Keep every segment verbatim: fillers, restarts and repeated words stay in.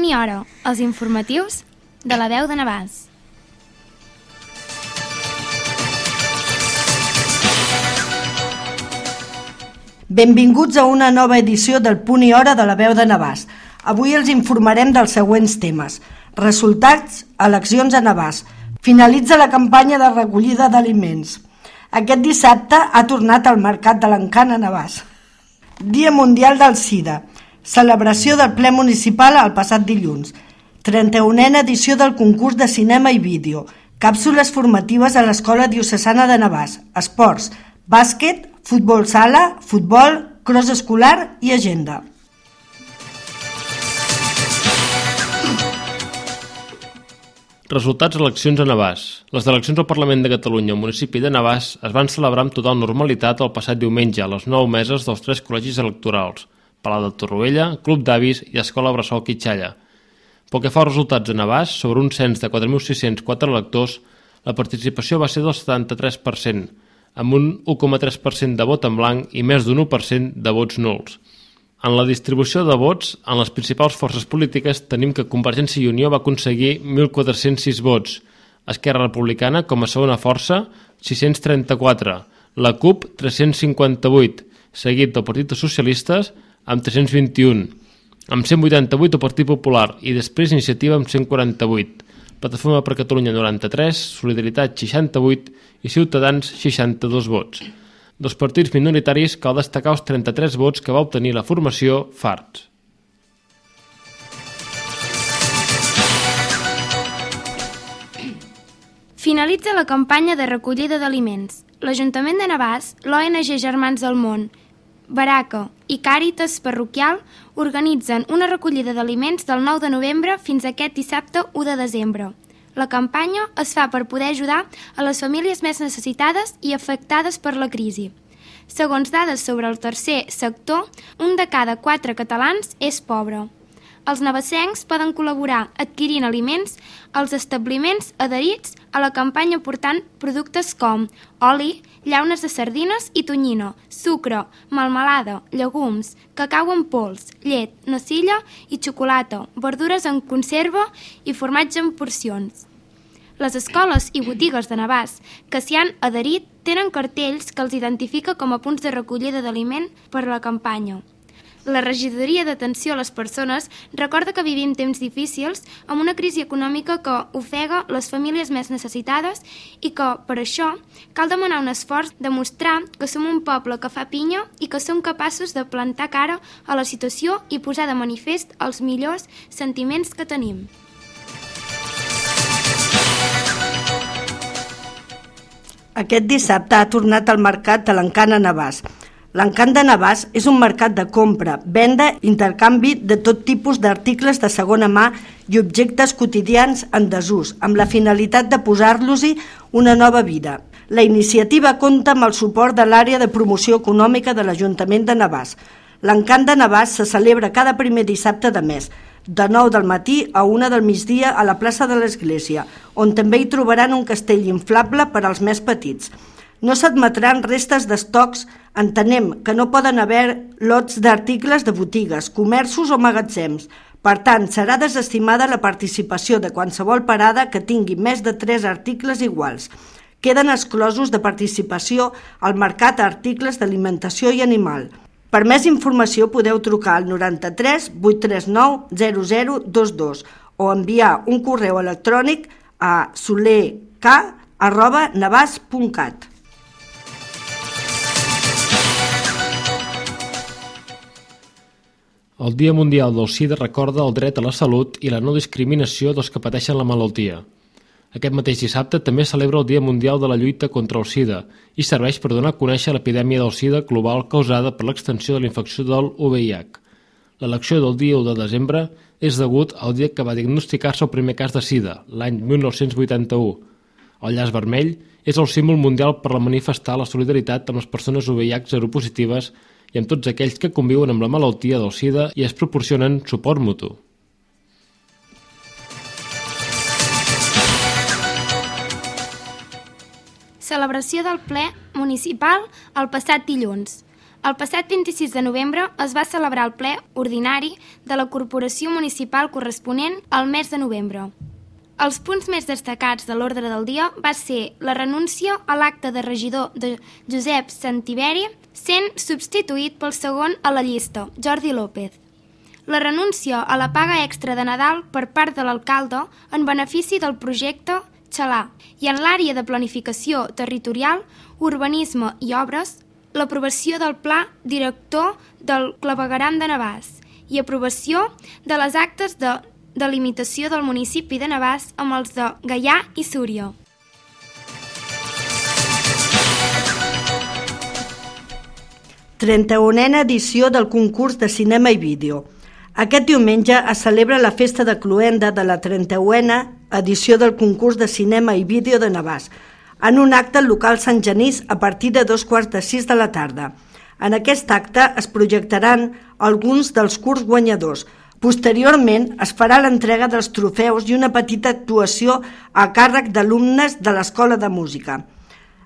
Punt i hora, els informatius de la veu de Navàs. Benvinguts a una nova edició del Punt i hora de la veu de Navàs. Avui els informarem dels següents temes. Resultats, eleccions a Navàs. Finalitza la campanya de recollida d'aliments. Aquest dissabte ha tornat al mercat de l'Encant a Navàs. Dia Mundial del SIDA. Celebració del ple municipal el passat dilluns. trenta-unena edició del concurs de cinema i vídeo. Càpsules formatives a l'Escola Diocesana de Navàs. Esports, bàsquet, futbol sala, futbol, cross escolar i agenda. Resultats eleccions a Navàs. Les eleccions al Parlament de Catalunya al municipi de Navàs es van celebrar amb total normalitat el passat diumenge a les nou meses dels tres col·legis electorals, Palau de Torroella, Club d'Avis i Escola Bressol Quitxalla. Pel que fa als resultats a Navàs, sobre un cens de quatre mil sis-cents quatre electors, la participació va ser del setanta-tres per cent, amb un u coma tres per cent de vot en blanc i més d'un u per cent de vots nuls. En la distribució de vots, en les principals forces polítiques tenim que Convergència i Unió va aconseguir mil quatre-cents sis vots, Esquerra Republicana, com a segona força, sis-cents trenta-quatre, la CUP, tres-cents cinquanta-vuit, seguit del Partit dels Socialistes, amb tres-cents vint-i-un, amb cent vuitanta-vuit el Partit Popular i després Iniciativa amb cent quaranta-vuit, Plataforma per Catalunya noranta-tres, Solidaritat seixanta-vuit i Ciutadans seixanta-dos vots. Dels partits minoritaris cal destacar els trenta-tres vots que va obtenir la formació Farts. Finalitza la campanya de recollida d'aliments. L'Ajuntament de Navàs, l'O N G Germans del Món, Baraca i Càritas Parroquial organitzen una recollida d'aliments del nou de novembre fins a aquest dissabte u de desembre. La campanya es fa per poder ajudar a les famílies més necessitades i afectades per la crisi. Segons dades sobre el tercer sector, un de cada quatre catalans és pobre. Els navassencs poden col·laborar adquirint aliments als establiments adherits a la campanya portant productes com oli, llaunes de sardines i tonyina, sucre, melmelada, llegums, cacau en pols, llet, nocilla i xocolata, verdures en conserva i formatge en porcions. Les escoles i botigues de Navàs que s'hi han adherit tenen cartells que els identifica com a punts de recollida d'aliment per a la campanya. La Regidoria d'Atenció a les Persones recorda que vivim temps difícils amb una crisi econòmica que ofega les famílies més necessitades i que, per això, cal demanar un esforç de mostrar que som un poble que fa pinya i que som capaços de plantar cara a la situació i posar de manifest els millors sentiments que tenim. Aquest dissabte ha tornat al mercat de l'Encant a Navàs. L'Encant de Navàs és un mercat de compra, venda i intercanvi de tot tipus d'articles de segona mà i objectes quotidians en desús, amb la finalitat de posar-los-hi una nova vida. La iniciativa compta amb el suport de l'àrea de promoció econòmica de l'Ajuntament de Navàs. L'Encant de Navàs se celebra cada primer dissabte de mes, de nou del matí a una del migdia a la plaça de l'Església, on també hi trobaran un castell inflable per als més petits. No s'admetran restes d'estocs, entenem que no poden haver lots d'articles de botigues, comerços o magatzems. Per tant, serà desestimada la participació de qualsevol parada que tingui més de tres articles iguals. Queden exclosos de participació al mercat a articles d'alimentació i animal. Per més informació podeu trucar al noranta-tres vuit tres nou zero zero dos dos o enviar un correu electrònic a solerk arroba navas punt cat. El Dia Mundial del SIDA recorda el dret a la salut i la no discriminació dels que pateixen la malaltia. Aquest mateix dissabte també celebra el Dia Mundial de la lluita contra el SIDA i serveix per donar a conèixer l'epidèmia del SIDA global causada per l'extensió de la infecció del U V I H. L'elecció del dia u de desembre és degut al dia que va diagnosticar-se el primer cas de SIDA, l'any mil nou-cents vuitanta-u. El llaç vermell és el símbol mundial per manifestar la solidaritat amb les persones U V I H seropositives i amb tots aquells que conviuen amb la malaltia del SIDA i es proporcionen suport mutu. Celebració del ple municipal el passat dilluns. El passat vint-i-sis de novembre es va celebrar el ple ordinari de la Corporació Municipal corresponent al mes de novembre. Els punts més destacats de l'ordre del dia va ser la renúncia a l'acte de regidor de Josep Santiberi, sent substituït pel segon a la llista, Jordi López. La renúncia a la paga extra de Nadal per part de l'alcalde en benefici del projecte Xalà i en l'àrea de planificació territorial, urbanisme i obres, l'aprovació del pla director del clavegueram de Navàs i aprovació de les actes de delimitació del municipi de Navàs amb els de Gaià i Súria. trenta-unena edició del concurs de cinema i vídeo. Aquest diumenge es celebra la festa de cloenda de la trenta-unena edició del concurs de cinema i vídeo de Navàs, en un acte al local Sant Genís a partir de dos quarts de sis de la tarda. En aquest acte es projectaran alguns dels curts guanyadors. Posteriorment es farà l'entrega dels trofeus i una petita actuació a càrrec d'alumnes de l'Escola de Música.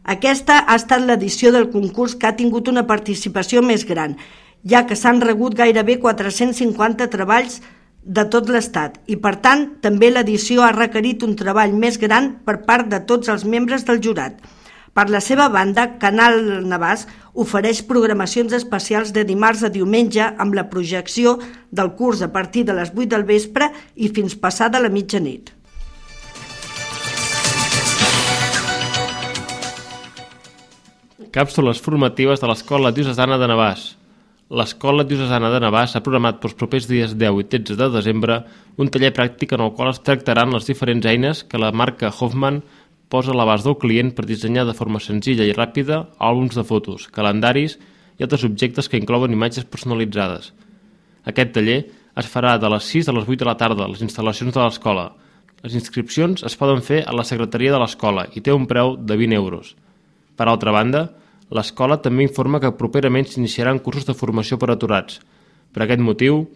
Aquesta ha estat l'edició del concurs que ha tingut una participació més gran, ja que s'han rebut gairebé quatre-cents cinquanta treballs de tot l'Estat i, per tant, també l'edició ha requerit un treball més gran per part de tots els membres del jurat. Per la seva banda, Canal Navàs ofereix programacions especials de dimarts a diumenge amb la projecció del curs a partir de les vuit del vespre i fins passada la mitjanit. Càpsules formatives de l'Escola Diocesana de Navàs. L'Escola Diocesana de Navàs ha programat pels propers dies deu i tretze de desembre un taller pràctic en el qual es tractaran les diferents eines que la marca Hoffman posa a l'abast del client per dissenyar de forma senzilla i ràpida àlbums de fotos, calendaris i altres objectes que inclouen imatges personalitzades. Aquest taller es farà de les sis a les vuit de la tarda a les instal·lacions de l'escola. Les inscripcions es poden fer a la secretaria de l'escola i té un preu de vint euros. Per altra banda, l'escola també informa que properament s'iniciaran cursos de formació per aturats. Per aquest motiu,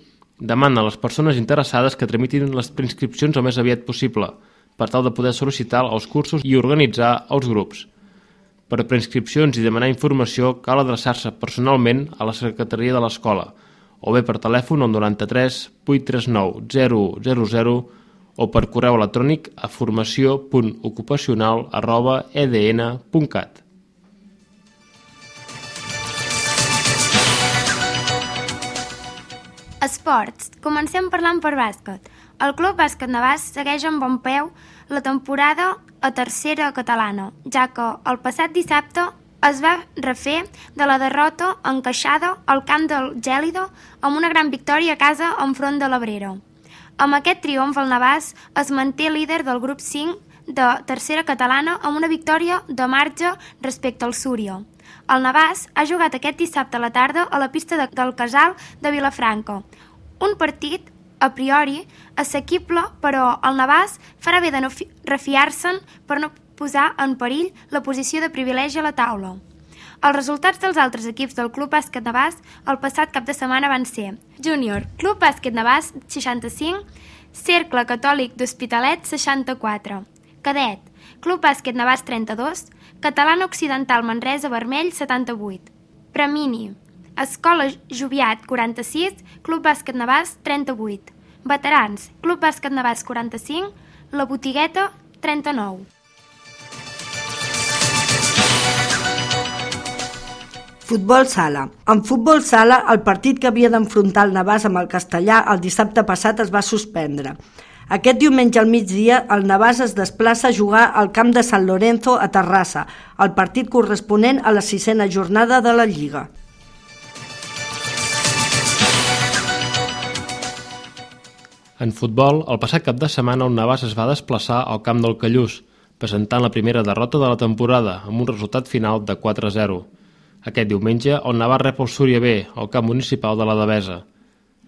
demana a les persones interessades que tramitin les preinscripcions el més aviat possible, per tal de poder sol·licitar els cursos i organitzar els grups. Per preinscripcions i demanar informació cal adreçar-se personalment a la secretaria de l'escola, o bé per telèfon al noranta-tres vuit tres nou zero zero zero o per correu electrònic a formació punt ocupacional arroba e d n punt cat. Esports. Comencem parlant per bàsquet. El Club Bàsquet Navàs segueix amb bon peu la temporada a tercera catalana, ja que el passat dissabte es va refer de la derrota encaixada al camp del Gèlido amb una gran victòria a casa enfront de l'Abrera. Amb aquest triomf el Navàs es manté líder del grup cinc de tercera catalana amb una victòria de marge respecte al Súria. El Navàs ha jugat aquest dissabte a la tarda a la pista de, del Casal de Vilafranca. Un partit, a priori, assequible, però el Navàs farà bé de no refiar-se'n per no posar en perill la posició de privilegi a la taula. Els resultats dels altres equips del Club Bàsquet Navàs el passat cap de setmana van ser Júnior, Club Bàsquet Navàs seixanta-cinc, Cercle Catòlic d'Hospitalet seixanta-quatre, Cadet, Club Bàsquet Navàs trenta-dos, Catalana Occidental Manresa Vermell setanta-vuit, Premini, Escola Joviat quaranta-sis, Club Bàsquet Navàs trenta-vuit, Veterans, Club Bàsquet Navàs quaranta-cinc, La Botigueta trenta-nou. Futbol sala. En futbol sala, el partit que havia d'enfrontar el Navàs amb el Castellà el dissabte passat es va suspendre. Aquest diumenge al migdia, el Navàs es desplaça a jugar al camp de Sant Lorenzo a Terrassa, el partit corresponent a la sisena jornada de la Lliga. En futbol, el passat cap de setmana el Navàs es va desplaçar al camp del Callús, presentant la primera derrota de la temporada, amb un resultat final de quatre a zero. Aquest diumenge, el Navàs rep el Súria B, al camp municipal de la Devesa.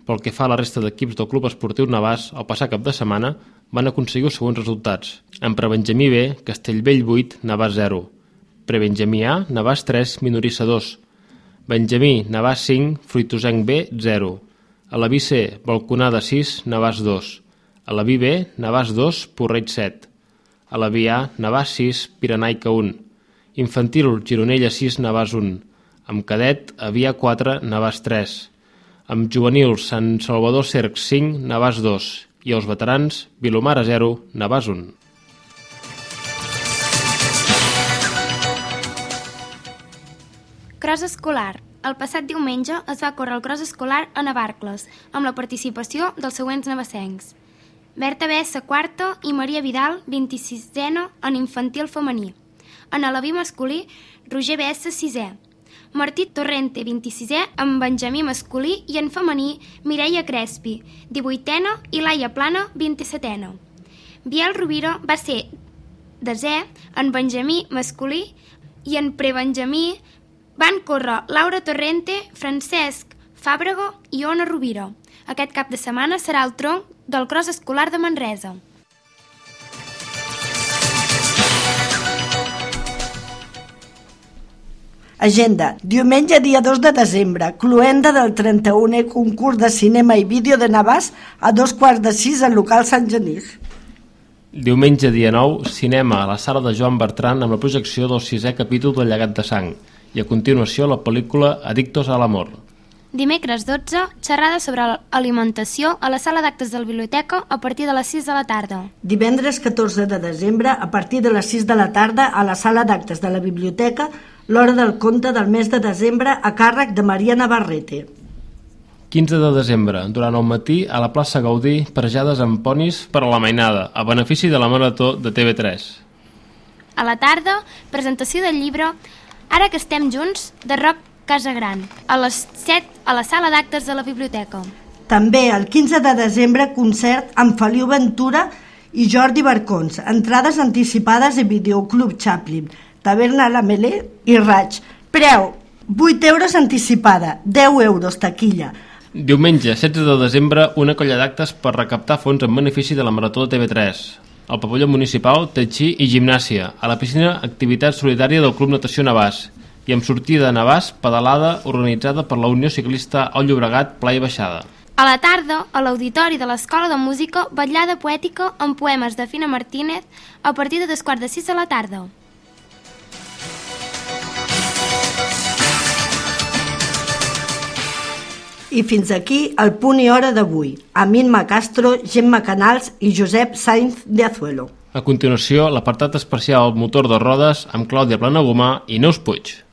Pel que fa a la resta d'equips del Club Esportiu Navàs, el passat cap de setmana van aconseguir els següents resultats. En prebenjamí B, Castellbell vuit, Navàs zero. Prebenjamí A, Navàs tres, Minorissa dos. Benjamí, Navàs cinc, Fruitosenc B, zero. A la B C, Balconada sis, Navàs dos. A la B B, Navàs dos, Porreig set. A la B A, Navàs sis, Pirenaica un. Infantil, Gironella sis, Navàs un. Amb cadet, Avià quatre, Navàs tres. Amb juvenils, Sant Salvador Cerc cinc, Navàs dos. I els veterans, Vilomara zero, Navàs un. Cros escolar. El passat diumenge es va córrer el cros escolar a Navarcles, amb la participació dels següents navassencs: Berta Bessa, quarta, i Maria Vidal, vint-i-sisena, en infantil femení. En aleví masculí, Roger Bessa, sisè. Martí Torrente, vint-i-sisè, en benjamí masculí, i en femení, Mireia Crespi, divuitena, i Laia Plana, vint-i-setena. Biel Rovira va ser desè, en benjamí masculí, i en prebenjamí van córrer Laura Torrente, Francesc Fàbrega i Ona Rovira. Aquest cap de setmana serà el tronc del cros escolar de Manresa. Agenda. Diumenge, dia dos de desembre, cloenda del trenta-unè concurs de cinema i vídeo de Navàs a dos quarts de sis al local Sant Genís. Diumenge, dia nou, cinema a la sala de Joan Bertran amb la projecció del sisè capítol del Llegat de Sang i a continuació la pel·lícula Adictos a l'amor. Dimecres dotze, xerrada sobre alimentació a la sala d'actes de la biblioteca a partir de les sis de la tarda. Divendres catorze de desembre, a partir de les sis de la tarda, a la sala d'actes de la biblioteca, l'hora del conte del mes de desembre a càrrec de Maria Navarrete. quinze de desembre, durant el matí, a la plaça Gaudí, parejades amb ponis per a la mainada, a benefici de la Marató de T V tres. A la tarda, presentació del llibre Ara que estem junts, de Roc Casagran, a les set a la sala d'actes de la biblioteca. També el quinze de desembre, concert amb Feliu Ventura i Jordi Barcons, entrades anticipades i videoclub Chaplin, Taverna La Melé i Raig. Preu, vuit euros anticipada, deu euros taquilla. Diumenge, setze de desembre, una colla d'actes per recaptar fons en benefici de la Marató de T V tres. Al pavelló municipal, Tai Chi i gimnàsia. A la piscina, activitat solidària del Club Natació Navàs. I amb sortida a Navàs, pedalada organitzada per la Unió Ciclista al Llobregat, Pla i Baixada. A la tarda, a l'auditori de l'Escola de Música, vetllada poètica amb poemes de Fina Martínez a partir de dos quarts de sis de la tarda. I fins aquí el punt i hora d'avui. Amin Castro, Gemma Canals i Josep Sainz de Azuelo. A continuació, l'apartat especial Motor de rodes amb Clàudia Planagumà i Neus Puig.